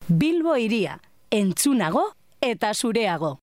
Bilbo hiria, entzunago eta zureago.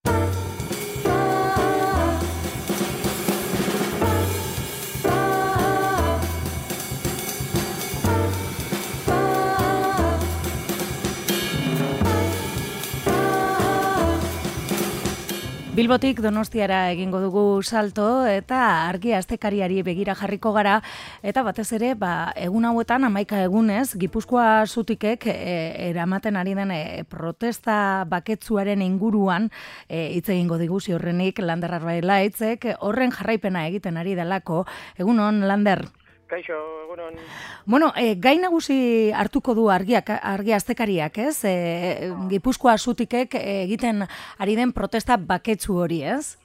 Bilbotik Donostiara egingo dugu salto eta argi astekariari begira jarriko gara eta batez ere egun hauetan 11 egunez Gipuzkoa Zutikek eramaten ari den protesta baketsuaren inguruan hitz egingo digu ziurrenik Lander Arbaitlaitzek horren jarraipena egiten ari delako. Egunon, Lander. Kaixo, egunon. Bueno, gai nagusi hartuko du argi astekariak, ez? Gipuzkoa Zutikek egiten ari den protesta baketsu hori, ez?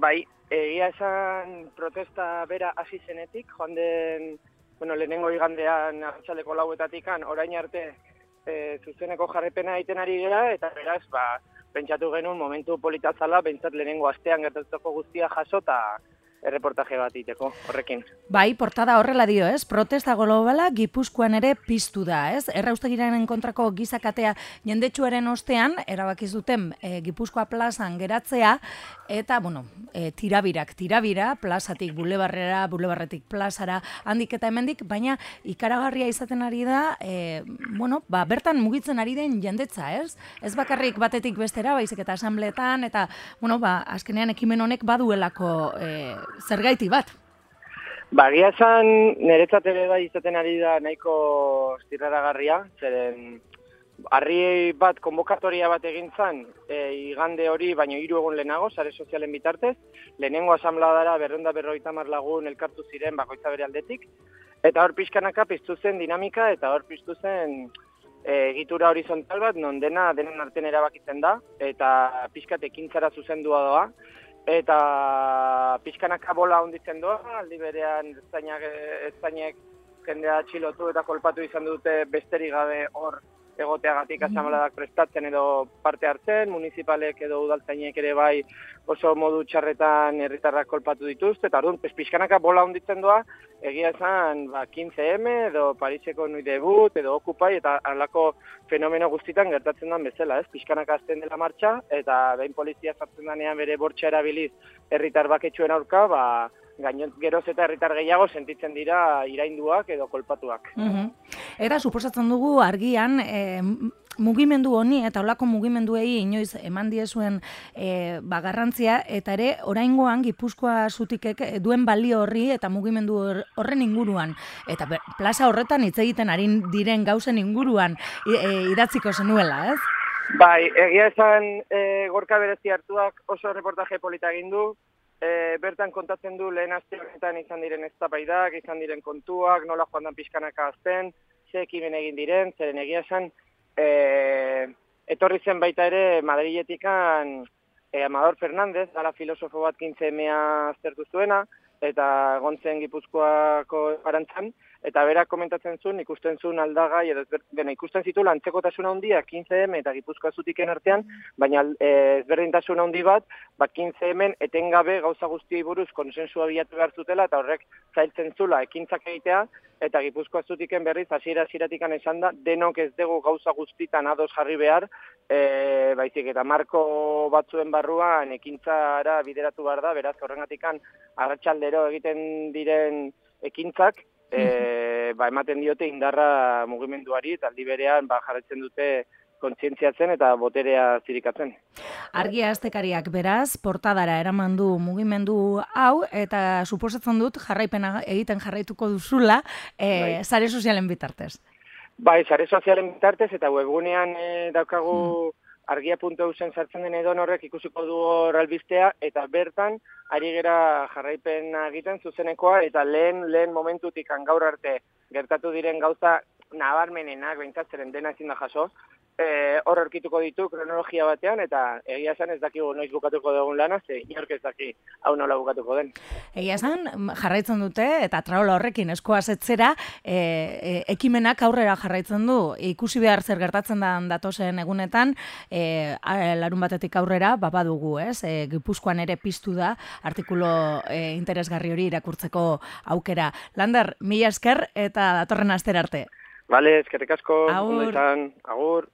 Bai, egia esan protesta bera hasi zenetik, joan den, lehenengo igandean arratsaldeko 4:00 orain arte zuzeneko jarraipena egiten ari gara, eta beraz, pentsatu genuen momentu polita zala, behintzat lehenengo astean gertatutako guztia jaso eta erreportaje bat iteko, horrekin. Bai, portada horrela dio, ez? Protesta globala Gipuzkoan ere piztu da, ez? Erraustegiraren kontrako gizakatea jendetsuaren ostean, erabaki zuten Gipuzkoa plazan geratzea, eta, tirabira, plazatik bulebarrera, bulebarretik plazara, handik eta hemendik, baina ikaragarria izaten ari da, bertan mugitzen ari den jendetza, ez? Ez bakarrik batetik bestera, baizik eta asambleetan, eta, azkenean ekimen honek baduelako zergaiti bat. Egia esan, niretzat ere bai izaten ari da nahiko zirraragarria, zeren harri bat konbokatoria bat egin zan, igande hori, baino 3 egun lehenago, sare sozialen bitartez, lehenengo asambladara 250 lagun elkartu ziren bakoitza bere aldetik, eta hor pixkanaka piztu zen dinamika, eta hor piztu zen egitura horizontal bat, non denen artean erabakitzen da, eta pixkat ekintzara zuzendua doa, eta pixkanaka bola honditzen doa, aldi berean eztainek jendea atxilotu eta kolpatu izan dute besterik gabe hor egoteagatik asambleadak prestatzen edo parte hartzen, municipalek edo udaltzainek ere bai oso modu txarretan herritarrak kolpatu dituzte, eta orduan pixkanaka bola honditzen doa, egia esan 15M edo Pariseko Nuit Debut edo Occupy eta halako fenomeno guztitan gertatzen den bezala, ez? Pixkanaka hasten dela martxa eta behin polizia sartzen denean bere bortxa erabiliz herritar baketsuen aurka, geroz eta herritar gehiago sentitzen dira irainduak edo kolpatuak. Eta suposatzen dugu argian mugimendu honi eta olako mugimenduei inoiz eman diezuen garrantzia, eta ere oraingoan Gipuzkoa Zutikek duen balio horri eta mugimendu horren inguruan, eta plaza horretan hitz egiten ari diren gauzen inguruan idatziko zenuela, ez? Bai, egia esan Gorka Berezi hartuak oso reportaje polita egin du, bertan kontatzen du lehen aste honetan izan diren eztabaidak, izan diren kontuak, nola joan dan pixkanaka azten, ze ekimen egin diren, zeren egia esan etorri zen baita ere Madriletikan Amador Fernández, ala filosofo bat 15M aztertu zuena, eta egon zen Gipuzkoako arantzan, eta berak komentatzen zuen, ikusten zuen aldagai, ikusten zituela antzekotasuna handia 15M eta Gipuzkoa Zutiken artean, baina ezberdintasuna handi bat, 15Mn etengabe gauza guztiei buruz konsensua bilatu behar zutela, eta horrek zailtzen zula ekintzak egitea, eta Gipuzkoa Zutiken berriz hasiera-hasieratik esan da, denok ez dugu gauza guztitan ados jarri behar, baizik eta marko batzuen barruan ekintzara bideratu behar da, beraz horrengatikan arratsaldero egiten diren ekintzak, ematen diote indarra mugimenduari, eta aldi berean jarraitzen dute kontzientziatzen eta boterea zirikatzen. Argi astekariak beraz, portadara eraman du mugimendu hau, eta suposatzen dut jarraipena egiten jarraituko duzula sare sozialen bitartez. Bai, sare sozialen bitartez, eta webgunean daukagu argia.eusen sartzen den edon horrek ikusiko du hor albistea, eta bertan ari gera jarraipena egiten zuzenekoa, eta lehen momentutik gaur arte gertatu diren gauza nabarmenenak, behintzat dena ezin da jaso, hor aurkituko ditu kronologia batean, eta egia esan ez dakigu noiz bukatuko dugun lana, ze inork ez daki hau nola bukatuko den. Egia esan, jarraitzen dute, eta traola horrekin eskoa zetzera, ekimenak aurrera jarraitzen du, ikusi behar zer gertatzen da datozen egunetan, larun batetik aurrera, badugu, ez? Gipuzkoan ere piztu da, artikulo interesgarri hori irakurtzeko aukera. Lander, mila esker eta datorren astera arte. Bale, eskerrik asko. Agur. Agur.